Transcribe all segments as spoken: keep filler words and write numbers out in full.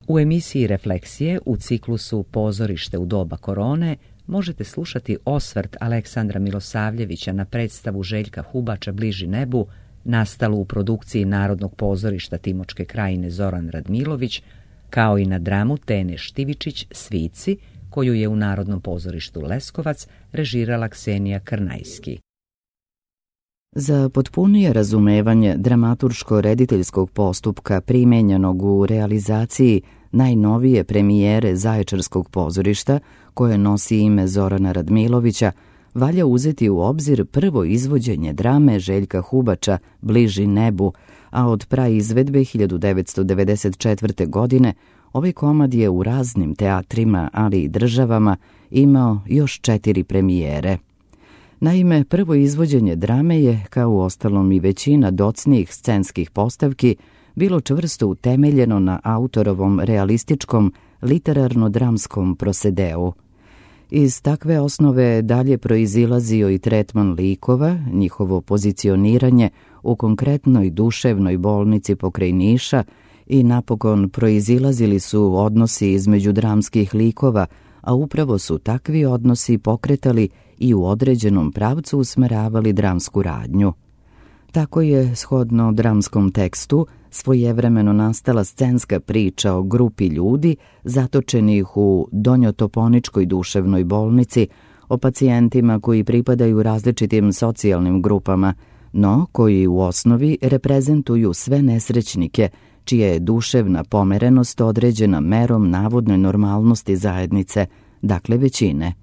U emisiji Refleksije u ciklusu Pozorište u doba korone možete slušati osvrt Aleksandra Milosavljevića na predstavu Željka Hubača Bliži nebu, nastalu u produkciji Narodnog pozorišta Timočke krajine Zoran Radmilović, kao i na dramu Tene Štivičić Svici, koju je u Narodnom pozorištu Leskovac režirala Ksenija Krnajski. Za potpunije razumevanje dramaturško-rediteljskog postupka primenjenog u realizaciji najnovije premijere Zaječarskog pozorišta, koje nosi ime Zorana Radmilovića, valja uzeti u obzir prvo izvođenje drame Željka Hubača Bliži nebu, a od praizvedbe hiljadu devetsto devedeset četvrte. godine ovaj komad je u raznim teatrima, ali i državama, imao još četiri premijere. Naime, prvo izvođenje drame je, kao u ostalom i većina docnijih scenskih postavki, bilo čvrsto utemeljeno na autorovom realističkom literarno-dramskom prosedeu. Iz takve osnove dalje proizilazio i tretman likova, njihovo pozicioniranje u konkretnoj duševnoj bolnici pokraj Niša i napokon proizilazili su odnosi između dramskih likova, a upravo su takvi odnosi pokretali i u određenom pravcu usmeravali dramsku radnju. Tako je, shodno dramskom tekstu, svojevremeno nastala scenska priča o grupi ljudi zatočenih u donjotoponičkoj duševnoj bolnici, o pacijentima koji pripadaju različitim socijalnim grupama, no koji u osnovi reprezentuju sve nesrećnike, čija je duševna pomerenost određena merom navodne normalnosti zajednice, dakle većine.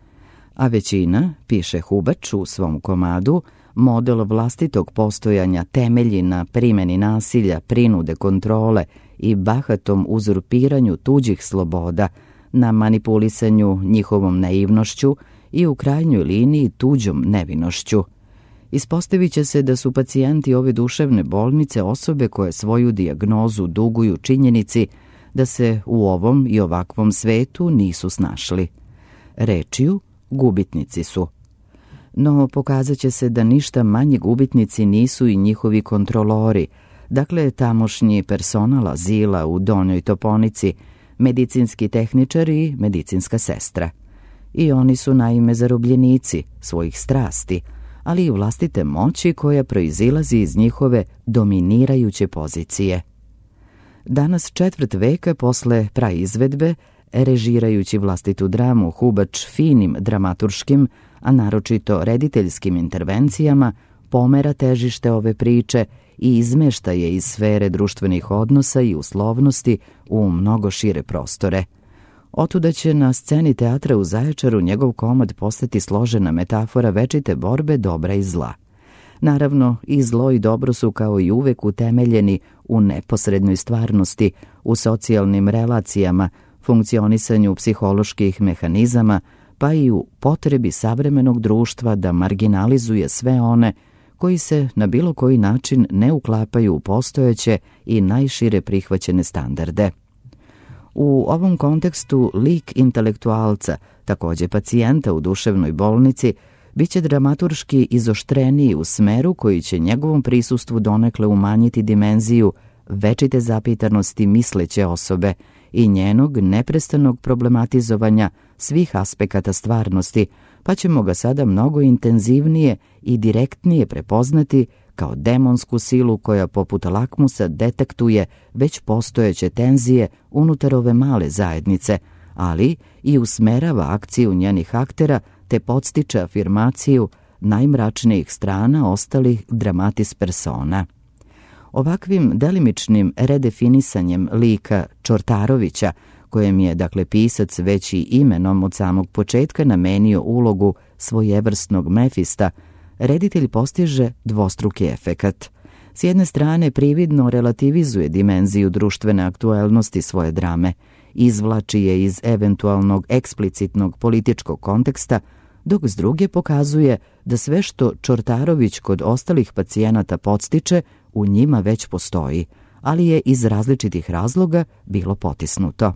A većina, piše Hubač u svom komadu, model vlastitog postojanja temelji na primjeni nasilja, prinude, kontrole i bahatom uzurpiranju tuđih sloboda, na manipulisanju njihovom naivnošću i u krajnjoj liniji tuđom nevinošću. Ispostavit će se da su pacijenti ove duševne bolnice osobe koje svoju dijagnozu duguju činjenici da se u ovom i ovakvom svetu nisu snašli. Rečju, gubitnici su. No pokazat će se da ništa manji gubitnici nisu i njihovi kontrolori, dakle tamošnji personal azila u Donjoj Toponici, medicinski tehničar i medicinska sestra. I oni su naime zarobljenici svojih strasti, ali i vlastite moći koja proizilazi iz njihove dominirajuće pozicije. Danas četvrt veka posle praizvedbe, režirajući vlastitu dramu, Hubač finim dramaturškim, a naročito rediteljskim intervencijama, pomera težište ove priče i izmešta je iz sfere društvenih odnosa i uslovnosti u mnogo šire prostore. Otuda će na sceni teatra u Zaječaru njegov komad postati složena metafora večite borbe dobra i zla. Naravno, i zlo i dobro su kao i uvek utemeljeni u neposrednoj stvarnosti, u socijalnim relacijama, funkcionisanju psiholoških mehanizama, pa i u potrebi savremenog društva da marginalizuje sve one koji se na bilo koji način ne uklapaju u postojeće i najšire prihvaćene standarde. U ovom kontekstu lik intelektualca, takođe pacijenta u duševnoj bolnici, biće dramaturški izoštreniji u smeru koji će njegovom prisustvu donekle umanjiti dimenziju večite zapitanosti misleće osobe i njenog neprestanog problematizovanja svih aspekata stvarnosti, pa ćemo ga sada mnogo intenzivnije i direktnije prepoznati kao demonsku silu koja poput lakmusa detektuje već postojeće tenzije unutar ove male zajednice, ali i usmerava akciju njenih aktera te podstiče afirmaciju najmračnijih strana ostalih dramatis persona. Ovakvim delimičnim redefinisanjem lika Čortarovića, kojem je, dakle, pisac već i imenom od samog početka namenio ulogu svojevrsnog Mefista, reditelj postiže dvostruki efekat. S jedne strane prividno relativizuje dimenziju društvene aktuelnosti svoje drame, izvlači je iz eventualnog eksplicitnog političkog konteksta, dok s druge pokazuje da sve što Čortarović kod ostalih pacijenata podstiče u njima već postoji, ali je iz različitih razloga bilo potisnuto.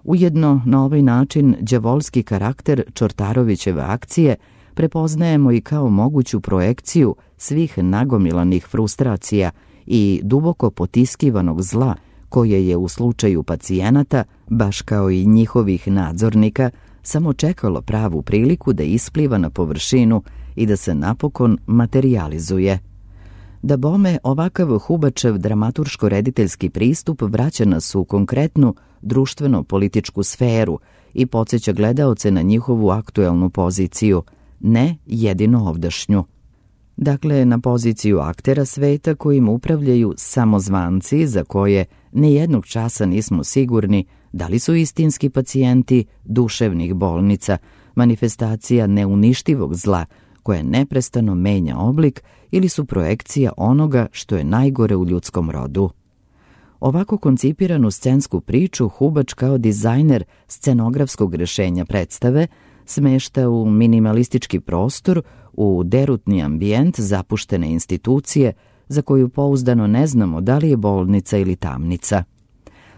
Ujedno, na ovaj način, đavolski karakter Čortarovićeve akcije prepoznajemo i kao moguću projekciju svih nagomilanih frustracija i duboko potiskivanog zla koje je u slučaju pacijenata, baš kao i njihovih nadzornika, samo čekalo pravu priliku da ispliva na površinu i da se napokon materijalizuje. Da bome, ovakav Hubačev dramaturško-rediteljski pristup vraća nas u konkretnu društveno-političku sferu i podsjeća gledaoce na njihovu aktuelnu poziciju, ne jedino ovdašnju. Dakle, na poziciju aktera sveta kojim upravljaju samozvanci za koje nijednog časa nismo sigurni da li su istinski pacijenti duševnih bolnica, manifestacija neuništivog zla koje neprestano menja oblik ili su projekcija onoga što je najgore u ljudskom rodu. Ovako koncipiranu scensku priču Hubač kao dizajner scenografskog rešenja predstave smešta u minimalistički prostor, u derutni ambijent zapuštene institucije za koju pouzdano ne znamo da li je bolnica ili tamnica.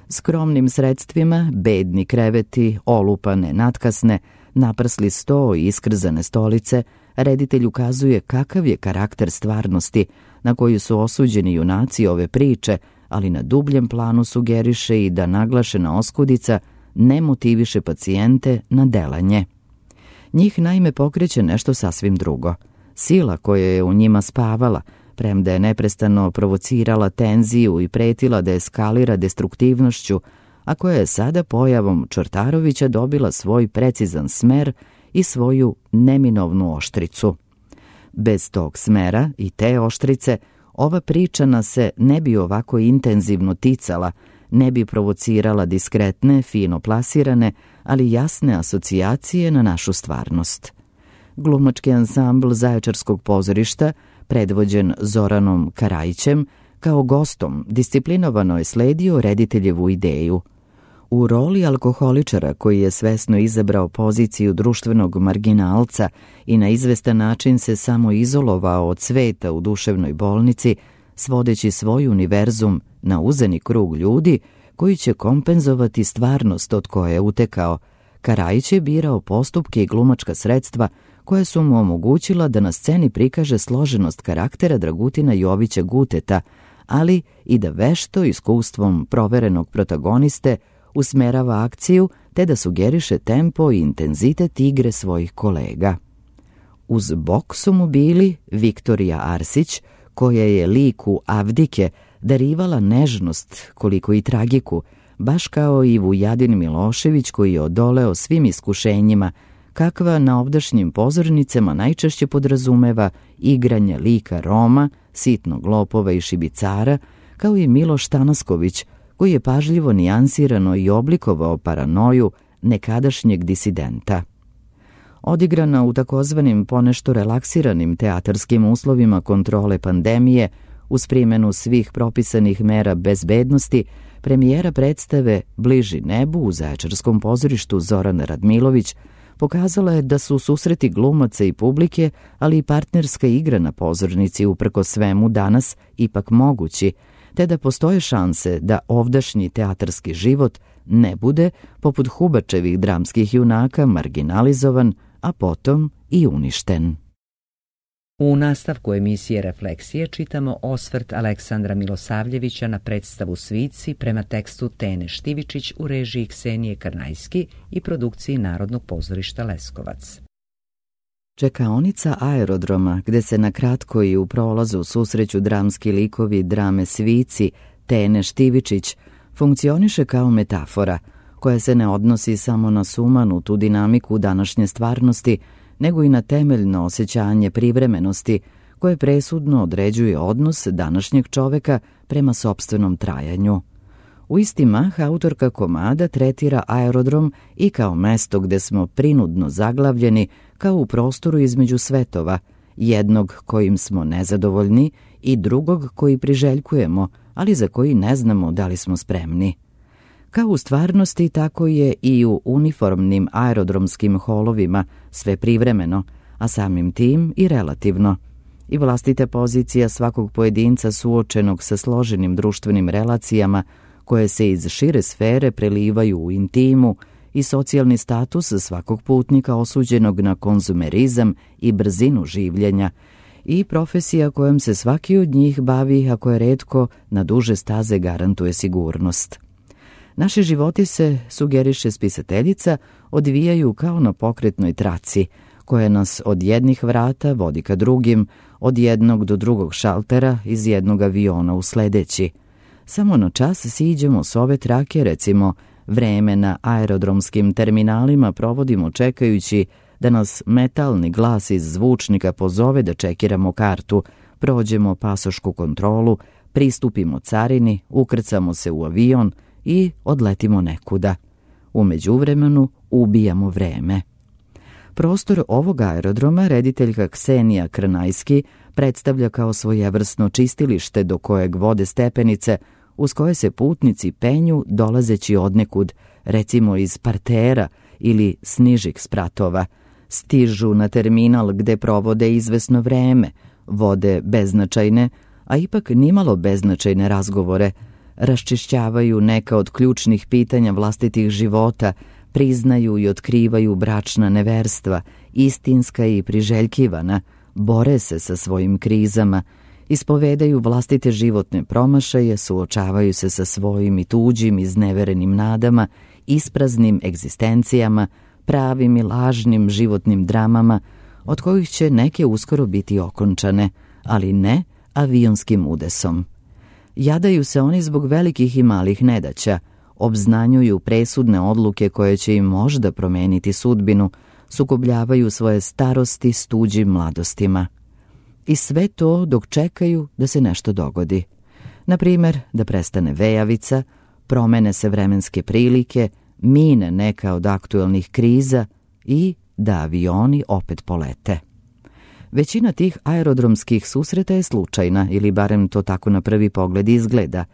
Skromnim sredstvima, bedni kreveti, olupane, natkasne, naprsli sto i iskrzane stolice, reditelj ukazuje kakav je karakter stvarnosti na koju su osuđeni junaci ove priče, ali na dubljem planu sugeriše i da naglašena oskudica ne motiviše pacijente na delanje. Njih naime pokreće nešto sasvim drugo. Sila koja je u njima spavala, premda je neprestano provocirala tenziju i pretila da eskalira destruktivnošću, a koja je sada pojavom Čortarovića dobila svoj precizan smer i svoju neminovnu oštricu. Bez tog smera i te oštrice, ova priča nas se ne bi ovako intenzivno ticala, ne bi provocirala diskretne, fino plasirane, ali jasne asocijacije na našu stvarnost. Glumački ansambl Zaječarskog pozorišta, predvođen Zoranom Karajićem, kao gostom disciplinovano je sledio rediteljevu ideju. U roli alkoholičara koji je svesno izabrao poziciju društvenog marginalca i na izvestan način se samo izolovao od sveta u duševnoj bolnici, svodeći svoj univerzum na uzeni krug ljudi koji će kompenzovati stvarnost od koje je utekao, Karajić je birao postupke i glumačka sredstva koja su mu omogućila da na sceni prikaže složenost karaktera Dragutina Jovića Guteta, ali i da vešto iskustvom proverenog protagoniste usmerava akciju te da sugeriše tempo i intenzitet igre svojih kolega. Uz bok su mu bili Viktorija Arsić, koja je liku Avdike darivala nežnost koliko i tragiku, baš kao i Vujadin Milošević koji je odoleo svim iskušenjima, kakva na ovdašnjim pozornicama najčešće podrazumeva igranje lika Roma, sitnog lopova i šibicara, kao i Miloš Tanasković, koji je pažljivo nijansirano i oblikovao paranoju nekadašnjeg disidenta. Odigrana u takozvanim ponešto relaksiranim teatarskim uslovima kontrole pandemije, uz primjenu svih propisanih mera bezbednosti, premijera predstave Bliži nebu u Zaječarskom pozorištu Zoran Radmilović pokazala je da su susreti glumaca i publike, ali i partnerska igra na pozornici uprko svemu danas ipak mogući, te da postoje šanse da ovdašnji teatarski život ne bude, poput Hubačevih dramskih junaka, marginalizovan, a potom i uništen. U nastavku emisije Refleksije čitamo osvrt Aleksandra Milosavljevića na predstavu Svici prema tekstu Tene Štivičić u režiji Ksenije Karnajski i produkciji Narodnog pozorišta Leskovac. Čekaonica aerodroma, gde se na kratko i u prolazu susreću dramski likovi drame Svici, Tene Štivičić, funkcioniše kao metafora, koja se ne odnosi samo na sumanutu dinamiku današnje stvarnosti, nego i na temeljno osjećanje privremenosti, koje presudno određuje odnos današnjeg čoveka prema sopstvenom trajanju. U isti mah autorka komada tretira aerodrom i kao mesto gde smo prinudno zaglavljeni, kao u prostoru između svetova, jednog kojim smo nezadovoljni i drugog koji priželjkujemo, ali za koji ne znamo da li smo spremni. Kao u stvarnosti, tako je i u uniformnim aerodromskim holovima sve privremeno, a samim tim i relativno. I vlastita pozicija svakog pojedinca suočenog sa složenim društvenim relacijama koje se iz šire sfere prelivaju u intimu i socijalni status svakog putnika osuđenog na konzumerizam i brzinu življenja i profesija kojom se svaki od njih bavi, ako je retko, na duže staze garantuje sigurnost. Naši životi se, sugeriše spisateljica, odvijaju kao na pokretnoj traci, koja nas od jednih vrata vodi ka drugim, od jednog do drugog šaltera, iz jednog aviona u sledeći. Samo na čas siđemo s ove trake, recimo, vreme na aerodromskim terminalima provodimo čekajući da nas metalni glas iz zvučnika pozove da čekiramo kartu, prođemo pasošku kontrolu, pristupimo carini, ukrcamo se u avion i odletimo nekuda. U međuvremenu ubijamo vreme. Prostor ovog aerodroma rediteljka Ksenija Krnajski predstavlja kao svojevrsno čistilište do kojeg vode stepenice uz koje se putnici penju dolazeći odnekud, recimo iz partera ili s nižih spratova. Stižu na terminal gde provode izvesno vreme, vode beznačajne, a ipak nimalo beznačajne razgovore, raščišćavaju neka od ključnih pitanja vlastitih života, priznaju i otkrivaju bračna neverstva, istinska i priželjkivana, bore se sa svojim krizama, ispovedaju vlastite životne promašaje, suočavaju se sa svojim i tuđim izneverenim nadama, ispraznim egzistencijama, pravim i lažnim životnim dramama, od kojih će neke uskoro biti okončane, ali ne avionskim udesom. Jadaju se oni zbog velikih i malih nedaća, obznanjuju presudne odluke koje će im možda promeniti sudbinu, sukobljavaju svoje starosti s tuđim mladostima. I sve to dok čekaju da se nešto dogodi. Na primjer, da prestane vejavica, promene se vremenske prilike, mine neka od aktuelnih kriza i da avioni opet polete. Većina tih aerodromskih susreta je slučajna, ili barem to tako na prvi pogled izgleda,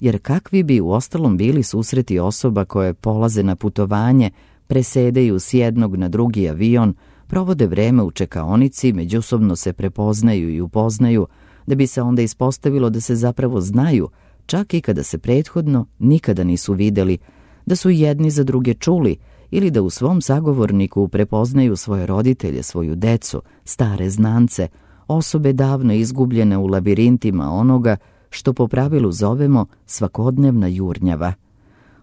jer kakvi bi uostalom bili susreti osoba koje polaze na putovanje, presedaju s jednog na drugi avion, provode vreme u čekaonici, međusobno se prepoznaju i upoznaju, da bi se onda ispostavilo da se zapravo znaju, čak i kada se prethodno nikada nisu videli, da su jedni za druge čuli ili da u svom sagovorniku prepoznaju svoje roditelje, svoju decu, stare znance, osobe davno izgubljene u labirintima onoga što po pravilu zovemo svakodnevna jurnjava.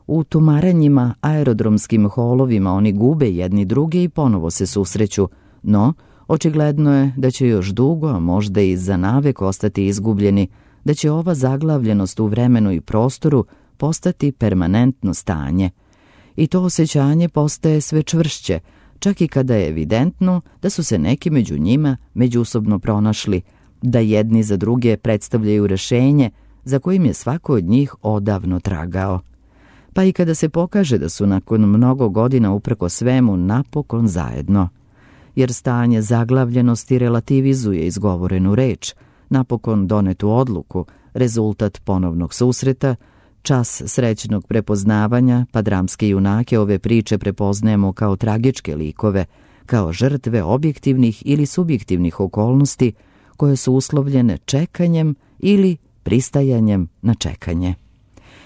U tumarenjima, aerodromskim holovima oni gube jedni druge i ponovo se susreću, no očigledno je da će još dugo, a možda i za navek ostati izgubljeni, da će ova zaglavljenost u vremenu i prostoru postati permanentno stanje. I to osjećanje postaje sve čvršće, čak i kada je evidentno da su se neki među njima međusobno pronašli, da jedni za druge predstavljaju rešenje za kojim je svako od njih odavno tragao. Pa i kada se pokaže da su nakon mnogo godina uprko svemu napokon zajedno. Jer stanje zaglavljenosti relativizuje izgovorenu reč, napokon donetu odluku, rezultat ponovnog susreta, čas srećnog prepoznavanja, pa dramske junake ove priče prepoznajemo kao tragičke likove, kao žrtve objektivnih ili subjektivnih okolnosti koje su uslovljene čekanjem ili pristajanjem na čekanje.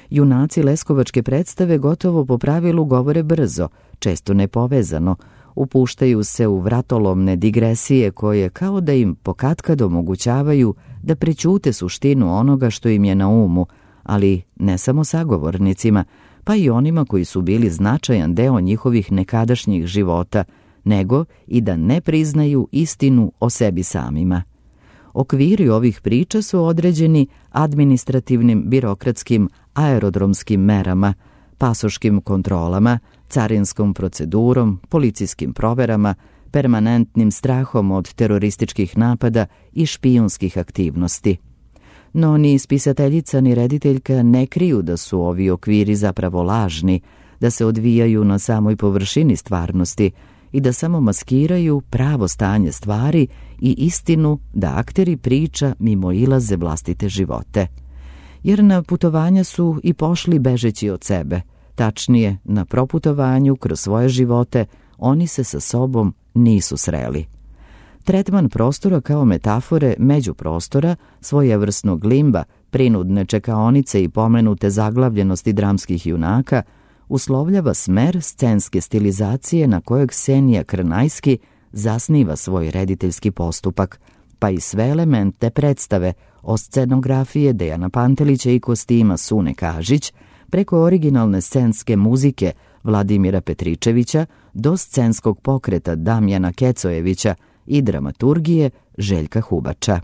Junaci leskovačke predstave gotovo po pravilu govore brzo, često nepovezano, upuštaju se u vratolomne digresije koje kao da im pokatkad omogućavaju da prećute suštinu onoga što im je na umu, ali ne samo sagovornicima, pa i onima koji su bili značajan deo njihovih nekadašnjih života, nego i da ne priznaju istinu o sebi samima. Okviri ovih priča su određeni administrativnim, birokratskim, aerodromskim merama, pasoškim kontrolama, carinskom procedurom, policijskim proverama, permanentnim strahom od terorističkih napada i špijunskih aktivnosti. No ni spisateljica ni rediteljka ne kriju da su ovi okviri zapravo lažni, da se odvijaju na samoj površini stvarnosti i da samo maskiraju pravo stanje stvari i istinu da akteri priča mimoilaze vlastite živote. Jer na putovanja su i pošli bežeći od sebe, tačnije na proputovanju kroz svoje živote oni se sa sobom nisu sreli. Tretman prostora kao metafore međuprostora, svojevrsnog limba, prinudne čekaonice i pomenute zaglavljenosti dramskih junaka uslovljava smer scenske stilizacije na kojeg Ksenija Krnajski zasniva svoj rediteljski postupak, pa i sve elemente predstave, od scenografije Dejana Pantelića i kostima Sune Kažić, preko originalne scenske muzike Vladimira Petričevića do scenskog pokreta Damjana Kecojevića i dramaturgije Željka Hubača.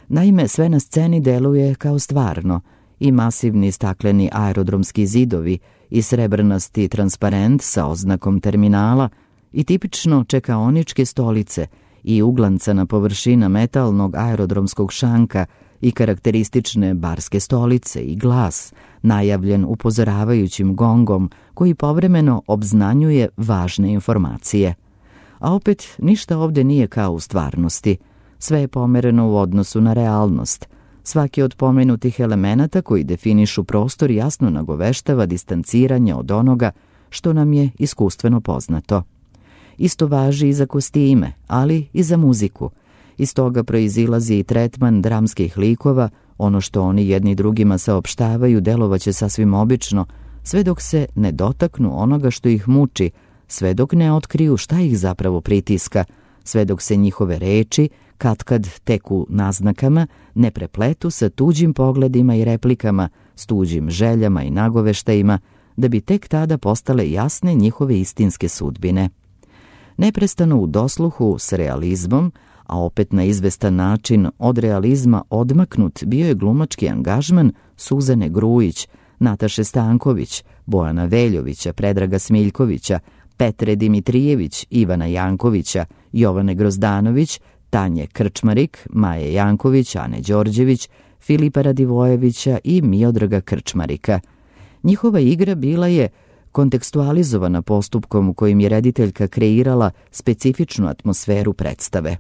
Naime, sve na sceni deluje kao stvarno, i masivni stakleni aerodromski zidovi i srebrnasti transparent sa oznakom terminala i tipično čekaoničke stolice i uglancana površina metalnog aerodromskog šanka i karakteristične barske stolice i glas, najavljen upozoravajućim gongom koji povremeno obznanjuje važne informacije. A opet ništa ovde nije kao u stvarnosti. Sve je pomereno u odnosu na realnost. Svaki od pomenutih elemenata koji definišu prostor jasno nagoveštava distanciranje od onoga što nam je iskustveno poznato. Isto važi i za kostime, ali i za muziku. Iz toga proizilazi i tretman dramskih likova, ono što oni jedni drugima saopštavaju delovaće sasvim obično, sve dok se ne dotaknu onoga što ih muči, sve dok ne otkriju šta ih zapravo pritiska, sve dok se njihove reči, katkad tek u naznakama, ne prepletu sa tuđim pogledima i replikama, s tuđim željama i nagoveštajima, da bi tek tada postale jasne njihove istinske sudbine. Neprestano u dosluhu s realizmom, a opet na izvestan način od realizma odmaknut bio je glumački angažman Suzane Grujić, Nataše Stanković, Bojana Veljovića, Predraga Smiljkovića, Petre Dimitrijević, Ivana Jankovića, Jovane Grozdanović, Tanje Krčmarik, Maje Janković, Ane Đorđević, Filipa Radivojevića i Miodraga Krčmarika. Njihova igra bila je kontekstualizovana postupkom u kojim je rediteljka kreirala specifičnu atmosferu predstave.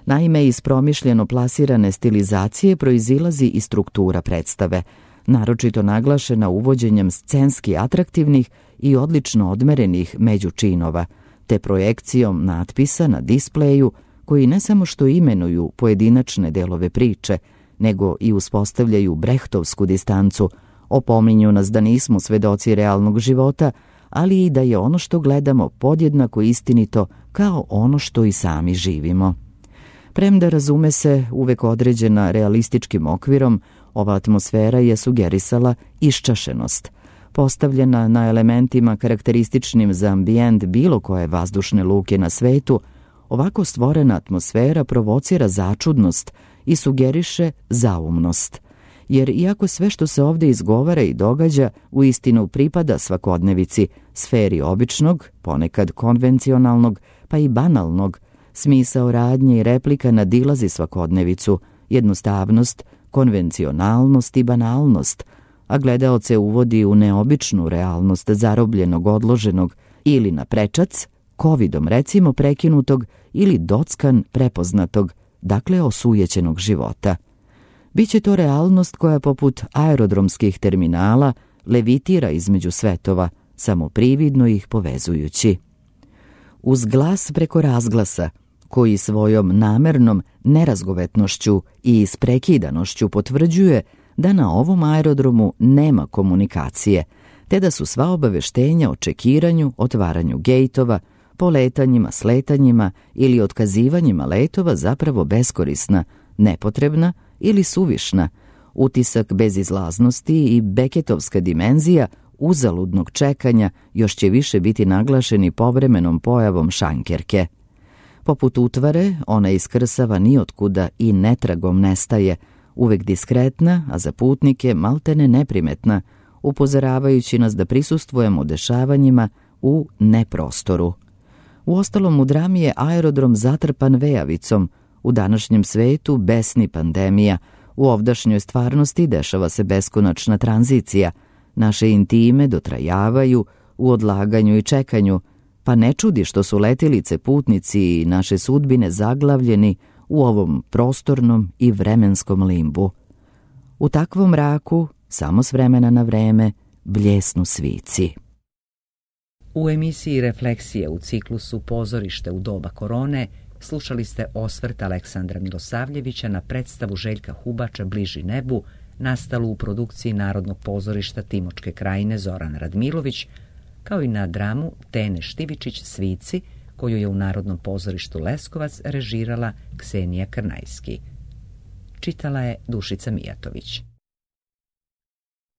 Naime, iz promišljeno plasirane stilizacije proizilazi i struktura predstave, naročito naglašena uvođenjem scenski atraktivnih i odlično odmerenih međučinova, te projekcijom natpisa na displeju koji ne samo što imenuju pojedinačne delove priče, nego i uspostavljaju brehtovsku distancu, opominju nas da nismo svedoci realnog života, ali i da je ono što gledamo podjednako istinito kao ono što i sami živimo. Premda razume se uvek određena realističkim okvirom, ova atmosfera je sugerisala iščašenost. Postavljena na elementima karakterističnim za ambijent bilo koje vazdušne luke na svetu, ovako stvorena atmosfera provocira začudnost i sugeriše zaumnost. Jer iako sve što se ovde izgovara i događa u istinu pripada svakodnevici, sferi običnog, ponekad konvencionalnog, pa i banalnog, smisao radnje i replika nadilazi svakodnevicu, jednostavnost, konvencionalnost i banalnost, a gledaoce uvodi u neobičnu realnost zarobljenog, odloženog ili na prečac, covidom recimo prekinutog ili dockan prepoznatog, dakle osujećenog života. Biće to realnost koja poput aerodromskih terminala levitira između svetova, samo prividno ih povezujući. Uz glas preko razglasa, koji svojom namernom nerazgovetnošću i isprekidanošću potvrđuje da na ovom aerodromu nema komunikacije, te da su sva obaveštenja o čekiranju, otvaranju gejtova, poletanjima, sletanjima ili otkazivanjima letova zapravo beskorisna, nepotrebna ili suvišna, utisak bezizlaznosti i beketovska dimenzija uzaludnog čekanja još će više biti naglašeni povremenom pojavom šankerke. Poput utvare, ona iskrsava nijotkuda i netragom nestaje, uvek diskretna, a za putnike maltene neprimetna, upozoravajući nas da prisustvujemo dešavanjima u neprostoru. Uostalom, u drami je aerodrom zatrpan vejavicom, u današnjem svetu besni pandemija, u ovdašnjoj stvarnosti dešava se beskonačna tranzicija, naše intime dotrajavaju u odlaganju i čekanju, pa ne čudi što su letilice, putnici i naše sudbine zaglavljeni u ovom prostornom i vremenskom limbu. U takvom mraku, samo s vremena na vreme, bljesnu svici. U emisiji Refleksije u ciklusu Pozorište u doba korone slušali ste osvrt Aleksandra Milosavljevića na predstavu Željka Hubača Bliži nebu, nastalu u produkciji Narodnog pozorišta Timočke krajine Zoran Radmilović, kao i na dramu Tene Štivičić Svici, koju je u Narodnom pozorištu Leskovac režirala Ksenija Krnajski. Čitala je Dušica Mijatović.